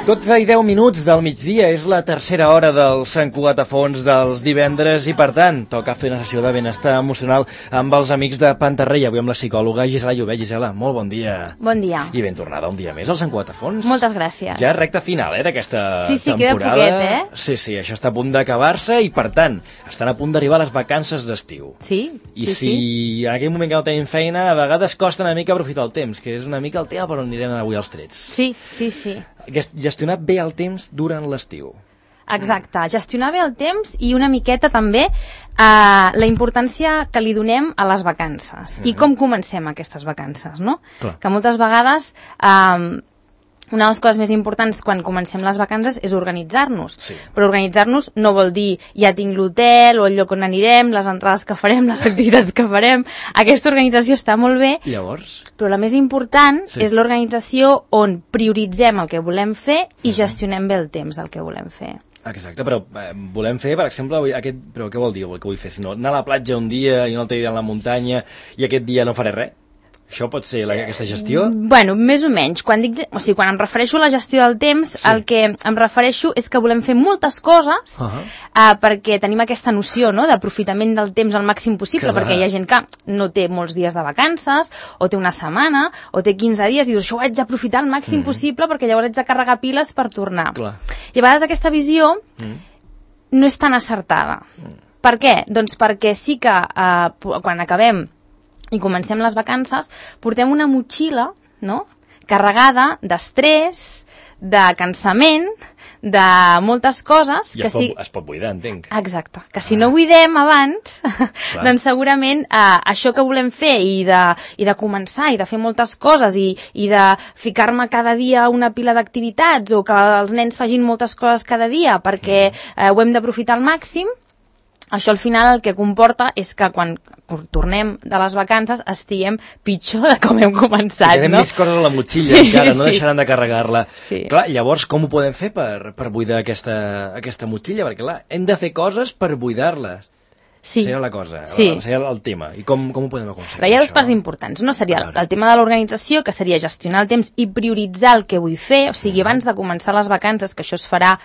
12 i 10 minuts del migdia, és la tercera hora del Sant Cugat a Fons dels divendres i, per tant, toca fer una sessió de benestar emocional amb els amics de Pantarrey. Avui amb la psicòloga Gisela Llobet. Gisela, molt bon dia. Bon dia. I ben tornada un dia més al Sant Cugat a Fons. Moltes gràcies. Ja recta final, d'aquesta temporada. Sí, queda poquet, Sí, això està a punt d'acabar-se i, per tant, estan a punt d'arribar les vacances d'estiu. Sí. I si en aquell moment que no tenim feina, a vegades costa una mica aprofitar el temps, que és una mica el tema per on anirem avui els trets. Sí. Gestionar bé el temps durant l'estiu. Exacte, gestionar bé el temps i una miqueta també la importància que li donem a les vacances i com comencem aquestes vacances, no? Clar. Que moltes vegades una de les coses més importants quan comencem les vacances és organitzar-nos. Sí. Però organitzar-nos no vol dir ja tinc l'hotel o el lloc on anirem, les entrades que farem, les activitats que farem. Aquesta organització està molt bé. Llavors? Però la més important és l'organització on prioritzem el que volem fer i gestionem bé el temps del que volem fer. Exacte, però volem fer, per exemple, però què vol dir el que vull fer? Si no, anar a la platja un dia i un altre dia a la muntanya i aquest dia no faré res? Això pot ser aquesta gestió? Bueno, més o menys. Quan em refereixo a la gestió del temps, el que em refereixo és que volem fer moltes coses perquè tenim aquesta noció, no?, d'aprofitament del temps al màxim possible, perquè hi ha gent que no té molts dies de vacances, o té una setmana, o té 15 dies, i dius, això ho haig d'aprofitar al màxim possible perquè llavors haig de carregar piles per tornar. Clar. I a vegades aquesta visió no és tan acertada. Per què? Doncs perquè sí que quan acabem i comencem les vacances, portem una motxilla, no?, carregada d'estrès, de cansament, de moltes coses... I es pot buidar, entenc. Exacte. Que si no buidem abans, doncs segurament això que volem fer i de començar i de fer moltes coses i de ficar-me cada dia una pila d'activitats o que els nens facin moltes coses cada dia perquè ho hem d'aprofitar al màxim, això al final el que comporta és que quan tornem de les vacances estiguem pitjor de com hem començat, no? Més coses a la motxilla encara, no deixaran de carregar-la. Sí. Clar, llavors com ho podem fer per buidar aquesta motxilla? Perquè clar, hem de fer coses per buidar-les. Sí. Seria la cosa, seria el tema. I com ho podem aconseguir? Però hi ha dues parts importants. No seria el tema de l'organització, que seria gestionar el temps i prioritzar el que vull fer, o sigui, abans de començar les vacances, que això es farà...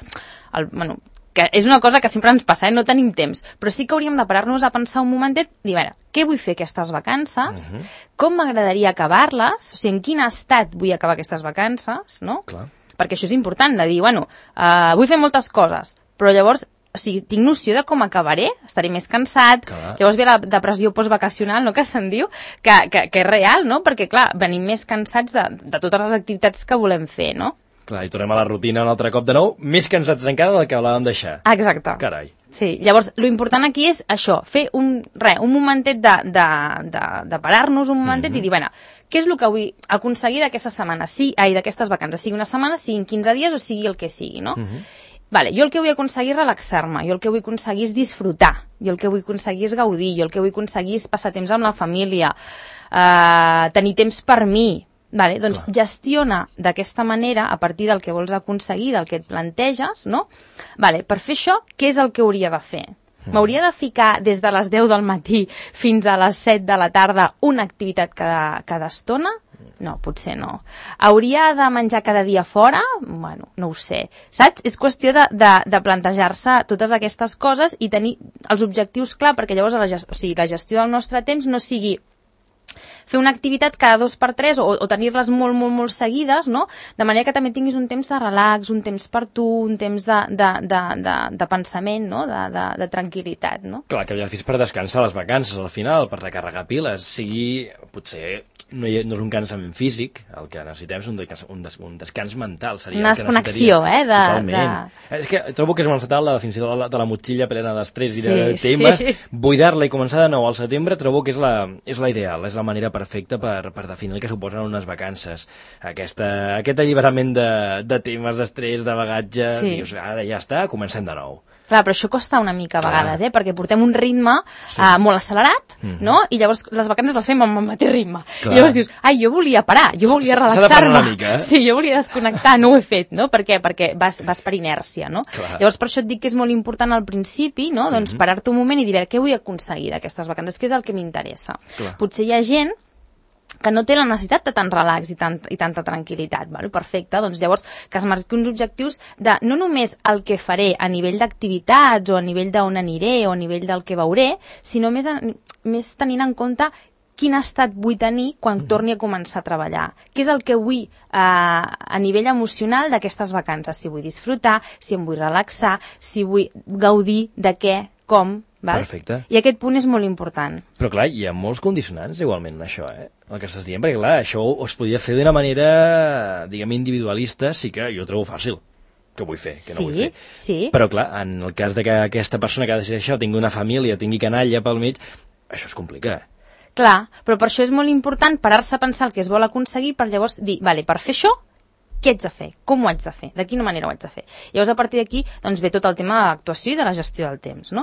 que és una cosa que sempre ens passa, no tenim temps, però sí que hauríem de parar-nos a pensar un momentet i dir, a veure, què vull fer aquestes vacances, com m'agradaria acabar-les, o sigui, en quin estat vull acabar aquestes vacances, no? Clar. Perquè això és important, de dir, vull fer moltes coses, però llavors, o sigui, tinc noció de com acabaré, estaré més cansat, llavors ve la depressió postvacacional, no?, que se'n diu, que és real, no?, perquè, clar, venim més cansats de totes les activitats que volem fer, no? Clar, i tornem a la rutina un altre cop de nou, més cansats encara del que volàvem deixar. Exacte. Carai. Sí, llavors, lo important aquí és això, fer un momentet de parar-nos un momentet i dir, bueno, què és el que vull aconseguir d'aquesta setmana, d'aquestes vacances, sigui una setmana, siguin 15 dies o sigui el que sigui, no? Vale, jo el que vull aconseguir és relaxar-me, jo el que vull aconseguir és disfrutar, jo el que vull aconseguir és gaudir, jo el que vull aconseguir és passar temps amb la família, tenir temps per mi. Vale, doncs gestiona d'aquesta manera, a partir del que vols aconseguir, del que et planteges, no? Vale, per fer això, què és el que hauria de fer? M'hauria de ficar des de les 10 del matí fins a les 7 de la tarda una activitat cada estona? No, potser no. Hauria de menjar cada dia fora? Bueno, no ho sé. Saps? És qüestió de plantejar-se totes aquestes coses i tenir els objectius clar, perquè llavors la gestió del nostre temps no sigui fer una activitat cada 2x3 o tenir-les molt, molt, molt seguides, no? De manera que també tinguis un temps de relax, un temps per tu, un temps de pensament, no? De tranquil·litat, no? Clar, que ja fes per descansar les vacances al final, per recarregar piles, sigui, potser no és un cansament físic, el que necessitem és un descans mental. Seria una desconnexió, Totalment. És que trobo que és molt encertat la definició de la motxilla plena d'estrès i de temes. Buidar-la i començar de nou al setembre trobo que és la ideal, és la manera perfecta per definir el que suposen unes vacances. Aquest alliberament de temes, d'estrès, de bagatge, dius, ara ja està, comencem de nou. Clar, però això costa una mica a vegades, perquè portem un ritme molt accelerat, no? I llavors les vacances les fem amb el mateix ritme. I llavors dius, ai, jo volia parar, jo volia relaxar-me. Sí, jo volia desconnectar, no ho he fet, no? Per què? Perquè vas per inèrcia, no? Llavors per això et dic que és molt important al principi, no? Doncs parar-te un moment i dir, què vull aconseguir d'aquestes vacances? Què és el que m'interessa? Potser hi ha gent que no té la necessitat de tant relax i tanta tranquil·litat. Perfecte, doncs llavors que es marqui uns objectius de no només el que faré a nivell d'activitats o a nivell d'on aniré o a nivell del que veuré, sinó més tenint en compte quin estat vull tenir quan torni a començar a treballar. Què és el que vull a nivell emocional d'aquestes vacances? Si vull disfrutar, si em vull relaxar, si vull gaudir de què, com... Perfecte. I aquest punt és molt important. Però clar, hi ha molts condicionants igualment això, el que estàs dient, perquè clar, això es podia fer d'una manera, diguem, individualista, sí que jo ho trobo fàcil, que vull fer, que no vull fer. Sí. Però clar, en el cas de que aquesta persona que ha decidit això tingui una família, tingui canalla pel mig, això es complica. Clar, però per això és molt important parar-se a pensar el que es vol aconseguir per llavors dir, vale, per fer això, què haig de fer? Com ho haig de fer? De quina manera ho haig de fer? Llavors, a partir d'aquí, doncs, ve tot el tema de l'actuació i de la gestió del temps, no?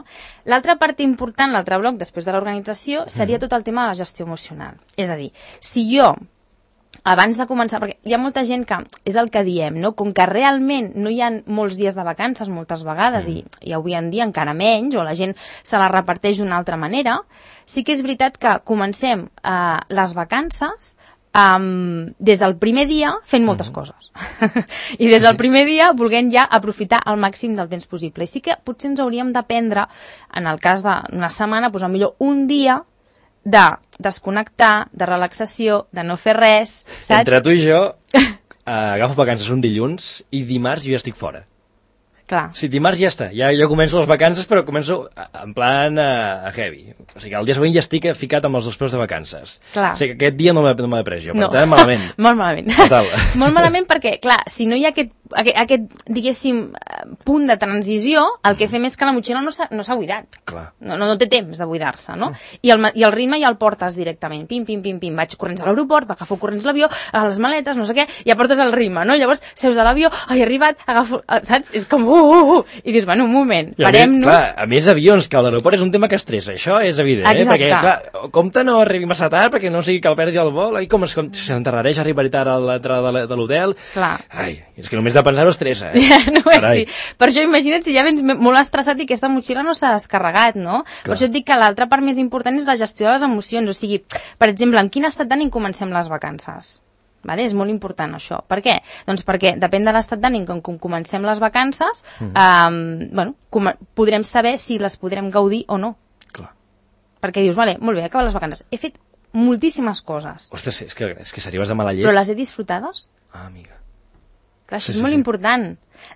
L'altra part important, l'altre bloc, després de l'organització, seria tot el tema de la gestió emocional. És a dir, si jo, abans de començar, perquè hi ha molta gent que, és el que diem, no? Com que realment no hi ha molts dies de vacances, moltes vegades, i avui en dia encara menys, o la gent se la reparteix d'una altra manera, sí que és veritat que comencem les vacances des del primer dia fent moltes coses i des del primer dia volent ja aprofitar al màxim del temps possible, i sí que potser ens hauríem d'aprendre, en el cas d'una setmana, doncs millor un dia de desconnectar, de relaxació, de no fer res, saps? Entre tu i jo agafo vacances un dilluns i dimarts jo ja estic fora. Clar. Sí, dimarts ja està, jo començo les vacances, però començo en plan heavy. O sigui, el dia següent ja estic ficat amb els 2 peus de vacances. Clar. O sigui, que aquest dia no m'he pres jo, per tant, malament. Molt malament. Total. Molt malament perquè, clar, si no hi ha aquest, diguéssim, punt de transició, el que fem és que la motxilla no s'ha buidat. Clar. No té temps de buidar-se, no? I el ritme ja el portes directament. Pim, pim, pim, pim. Vaig corrents a l'aeroport, agafo corrents l'avió, a les maletes, no sé què, ja portes el ritme, no? Llavors, seus a l'avió, he arribat, agafo... Saps? És com... I dius, bueno, un moment, parem-nos... Clar, a més avions, que a l'aeroport és un tema que estressa, això és evident, perquè, clar, compte no arribi massa tard perquè no sigui que el perdi el vol, i com s'enterrareix arribar tard a l'entrada de l'hotel... Clar. Ai, és que només de pensar-ho estressa, No és sí. Per això imagina't si ja vens molt estressat i aquesta motxilla no s'ha descarregat, no? Clar. Per això et dic que l'altra part més important és la gestió de les emocions, o sigui, per exemple, en quin estat d'ànim comencem les vacances? Vale? És molt important això. Per què? Doncs perquè depèn de l'estat d'ànim com comencem les vacances, podrem saber si les podrem gaudir o no. Clar. Perquè dius, vale, molt bé, he acabat les vacances. He fet moltíssimes coses. Ostres, és que s'arribes de mala llet. Però les he disfrutades? Amiga. Clar, això és molt important.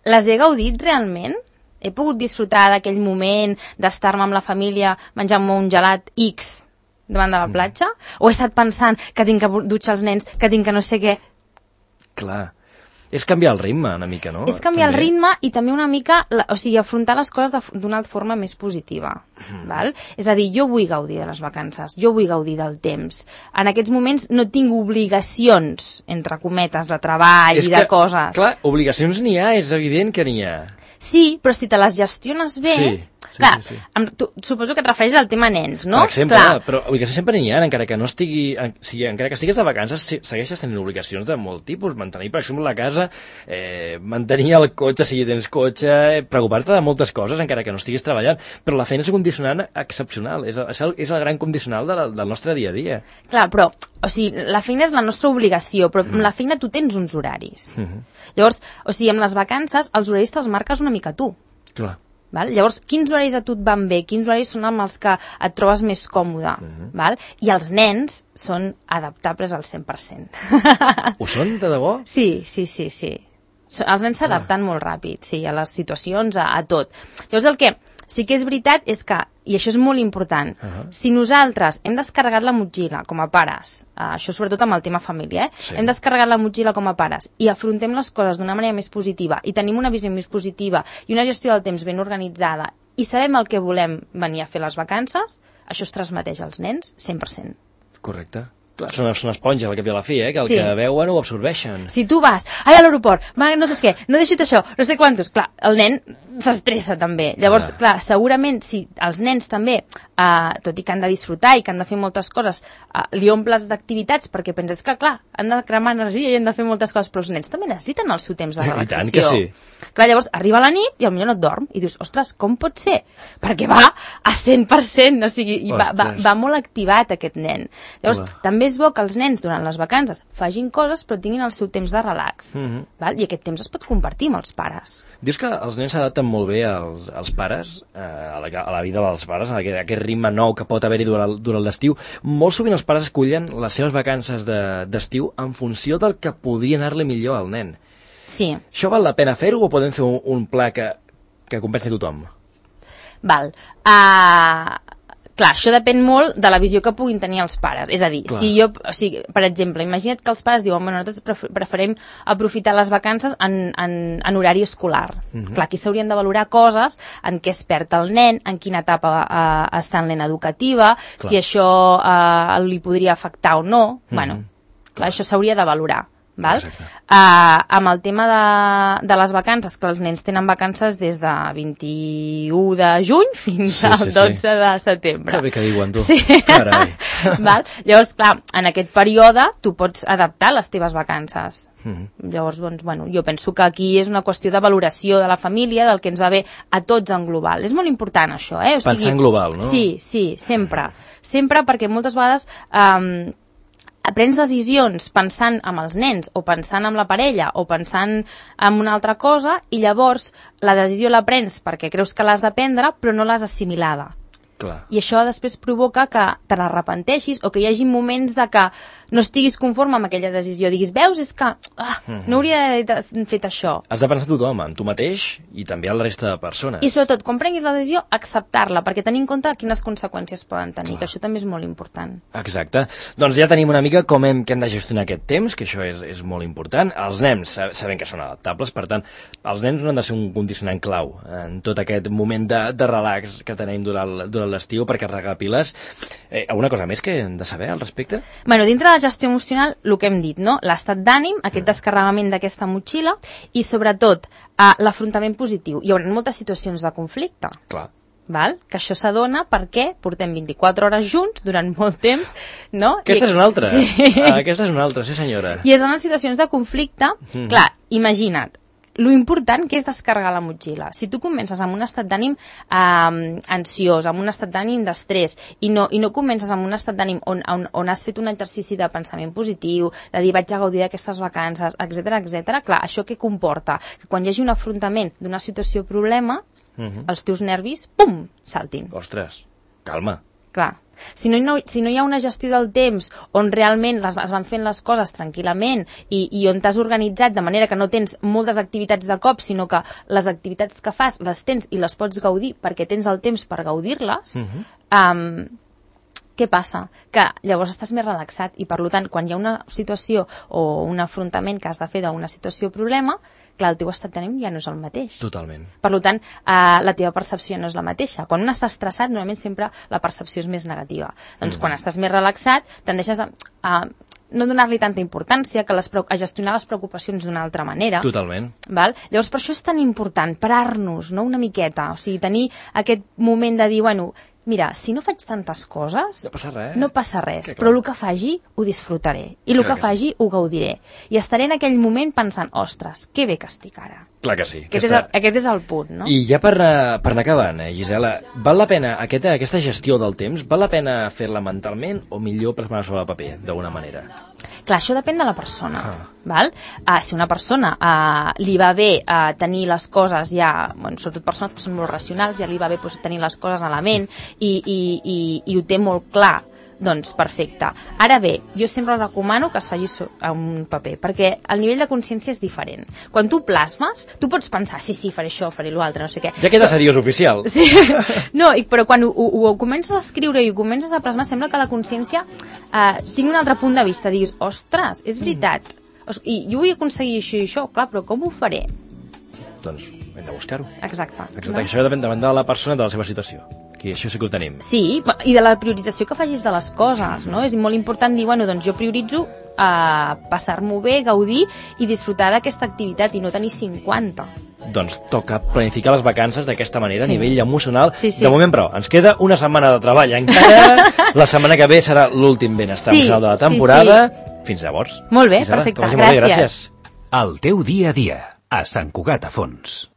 Les he gaudit realment? He pogut disfrutar d'aquell moment d'estar-me amb la família menjant-me un gelat X davant de la platja? O he estat pensant que tinc que dutxar els nens, que tinc que no sé què? Clar. És canviar el ritme, una mica, no? És canviar el ritme i també una mica, o sigui, afrontar les coses d'una forma més positiva. Val? És a dir, jo vull gaudir de les vacances, jo vull gaudir del temps. En aquests moments no tinc obligacions, entre cometes, de treball i de coses. Clar, obligacions n'hi ha, és evident que n'hi ha. Sí, però si te les gestiones bé... Clar, suposo que et refereixes al tema nens, no? Per exemple, però obligacions sempre n'hi ha, encara que no estigui... encara que estigues de vacances, segueixes tenint obligacions de molt tipus. Mantenir, per exemple, la casa, mantenir el cotxe, si tens cotxe, preocupar-te de moltes coses, encara que no estiguis treballant. Però la feina és un condicionant excepcional, és el gran condicional del nostre dia a dia. Clar, però, o sigui, la feina és la nostra obligació, però amb la feina tu tens uns horaris. Llavors, o sigui, amb les vacances, els horaris te'ls marques una mica tu. Clar. Val? Llavors, quins horaris a tu et van bé? Quins horaris són amb els que et trobes més còmode? Val? I els nens són adaptables al 100%. Ho són, de debò? Sí. Els nens s'adapten molt ràpid, sí, a les situacions, a tot. Llavors, el que sí que és veritat és que, i això és molt important, si nosaltres hem descarregat la motxilla com a pares, això sobretot amb el tema família, hem descarregat la motxilla com a pares i afrontem les coses d'una manera més positiva i tenim una visió més positiva i una gestió del temps ben organitzada i sabem el que volem venir a fer les vacances, això es transmeteix als nens 100%. Correcte. Clar, són esponges al cap i a la fi, que el Sí. que veuen ho absorbeixen. Si tu vas, ai, a l'aeroport, no saps què, no deixa't això, no sé quantos, clar, el nen s'estressa també. Llavors, clar, segurament si els nens també, tot i que han de disfrutar i que han de fer moltes coses, li omples d'activitats perquè penses que, clar, han de cremar energia i han de fer moltes coses, però els nens també necessiten el seu temps de relaxació. I tant que sí. Clar, llavors arriba la nit i potser no et dorm i dius, ostres, com pot ser? Perquè va a 100%, o sigui, i va molt activat aquest nen. Llavors, també és bo que els nens durant les vacances facin coses però tinguin el seu temps de relax. Val? I aquest temps es pot compartir amb els pares. Dius que els nens s'adapten molt bé als pares, a la vida dels pares, a aquest ritme nou que pot haver-hi durant l'estiu. Molt sovint els pares escollen les seves vacances d'estiu en funció del que podria anar-li millor al nen. Sí. Això val la pena fer-ho o podem fer un pla que compensi tothom? Val. Clar, això depèn molt de la visió que puguin tenir els pares. És a dir, per exemple, imagina't que els pares diuen, nosaltres preferim aprofitar les vacances en horari escolar. Clar, aquí s'haurien de valorar coses en què es perd el nen, en quina etapa està en l'ena educativa, si això li podria afectar o no. Bueno, clar, això s'hauria de valorar. Val? Amb el tema de les vacances, que els nens tenen vacances des de 21 de juny fins al 12 de setembre. Que bé que diuen, tu. Sí. Carai. Val? Llavors, clar, en aquest període tu pots adaptar les teves vacances. Llavors, doncs, bueno, jo penso que aquí és una qüestió de valoració de la família, del que ens va bé a tots en global. És molt important això, O sigui, pensar en global, no? Sí, sempre. Sempre, perquè moltes vegades prens decisions pensant en els nens o pensant en la parella o pensant en una altra cosa i llavors la decisió la prens perquè creus que l'has de prendre però no l'has assimilada. Clar. I això després provoca que te n'arrepenteixis o que hi hagi moments de que no estiguis conforme amb aquella decisió. Diguis, veus, és que no hauria d'haver fet això. Has de pensar tothom, en tu mateix i també en la resta de persones. I sobretot, quan prenguis la decisió, acceptar-la, perquè tenir en compte quines conseqüències poden tenir, que això també és molt important. Exacte. Doncs ja tenim una mica com hem de gestionar aquest temps, que això és molt important. Els nens sabem que són adaptables, per tant, els nens no han de ser un condicionant clau en tot aquest moment de relax que tenim durant l'estiu per carregar piles. Alguna cosa més que hem de saber al respecte? Bueno, dintre de la gestió emocional, el que hem dit, no? L'estat d'ànim, aquest descarregament d'aquesta motxilla i, sobretot, l'afrontament positiu. Hi haurà moltes situacions de conflicte. Clar. Val? Que això s'adona perquè portem 24 hores junts durant molt temps, no? Aquesta és una altra. Sí. Aquesta és una altra, sí senyora. I és en les situacions de conflicte, clar, imagina't, lo important que és descarregar la motxilla. Si tu comences amb un estat d'ànim ansiós, amb un estat d'ànim d'estrès, i no comences amb un estat d'ànim on has fet un exercici de pensament positiu, de dir vaig a gaudir d'aquestes vacances, etc, clar, això què comporta? Que quan hi hagi un afrontament d'una situació problema, els teus nervis, pum, saltin. Ostres, calma. Clar. Si no hi ha una gestió del temps on realment es van fent les coses tranquil·lament i on t'has organitzat de manera que no tens moltes activitats de cop, sinó que les activitats que fas les tens i les pots gaudir perquè tens el temps per gaudir-les, què passa? Que llavors estàs més relaxat i, per tant, quan hi ha una situació o un afrontament que has de fer d'una situació o problema, clar, el teu estat d'ànim ja no és el mateix. Totalment. Per tant, la teva percepció no és la mateixa. Quan un està estressat, normalment sempre la percepció és més negativa. Doncs quan estàs més relaxat, tendeixes a no donar-li tanta importància, a gestionar les preocupacions d'una altra manera. Totalment. Val? Llavors, per això és tan important parar-nos, no?, una miqueta. O sigui, tenir aquest moment de dir, bueno, mira, si no faig tantes coses, no passa res, però el que faci ho disfrutaré i el que faci ho gaudiré i estaré en aquell moment pensant, ostres, que bé que estic ara. Clar que sí. Aquest és el punt, no? I ja per anar acabant, Gisela, val la pena aquesta gestió del temps, val la pena fer-la mentalment o millor plasmar sobre el paper, d'alguna manera? Clar, això depèn de la persona. Val? Si una persona li va bé tenir les coses ja, sobretot persones que són molt racionals, ja li va bé tenir les coses a la ment i ho té molt clar, doncs perfecte. Ara bé, jo sempre recomano que es faci a un paper, perquè el nivell de consciència és diferent. Quan tu plasmes, tu pots pensar, sí, faré això, faré l'altre, no sé què. Ja queda seriós oficial. Sí, no, però quan ho comences a escriure i ho comences a plasmar, sembla que la consciència tingui un altre punt de vista, diguis, ostres, és veritat, i jo vull aconseguir això i això, clar, però com ho faré? Doncs hem de buscar-ho. Exacte. Això depèn de la persona, de la seva situació. aquí això sí que ho tenim. Sí, i de la priorització que facis de les coses, no? És molt important dir, bueno, doncs jo prioritzo passar-m'ho bé, gaudir i disfrutar d'aquesta activitat i no tenir 50. Doncs toca planificar les vacances d'aquesta manera, a nivell emocional. Sí. De moment, però, ens queda una setmana de treball encara. La setmana que ve serà l'últim benestar emocional de la temporada. Fins llavors. Molt bé, Isabel, perfecte. que vagi molt bé, gràcies. El teu dia a dia, a Sant Cugat a Fons.